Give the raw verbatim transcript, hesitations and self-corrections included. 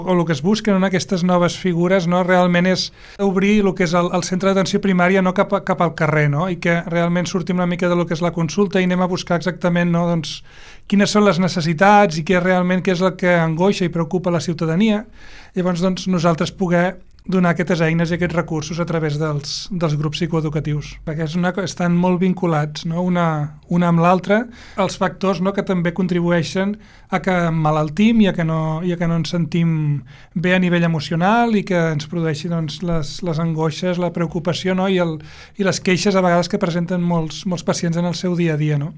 o el que es busquen en aquestes noves figures, no, realment és obrir el que és el, el centre d'atenció primària no cap, a, cap al carrer, no? I que realment sortim una mica de lo que és la consulta i anem a buscar exactament, no, doncs, quines són les necessitats i què realment què és el que angoixa i preocupa la ciutadania. Llavors, doncs, nosaltres poder donar aquestes eines i aquests recursos a través dels, dels grups psicoeducatius, perquè és una, estan molt vinculats, no? una, una amb l'altra, els factors, no? Que també contribueixen a que emmalaltim i a que no, i a que no ens sentim bé a nivell emocional i que ens produeixi, doncs, les, les angoixes, la preocupació, no? I, el, i les queixes a vegades que presenten molts, molts pacients en el seu dia a dia. No?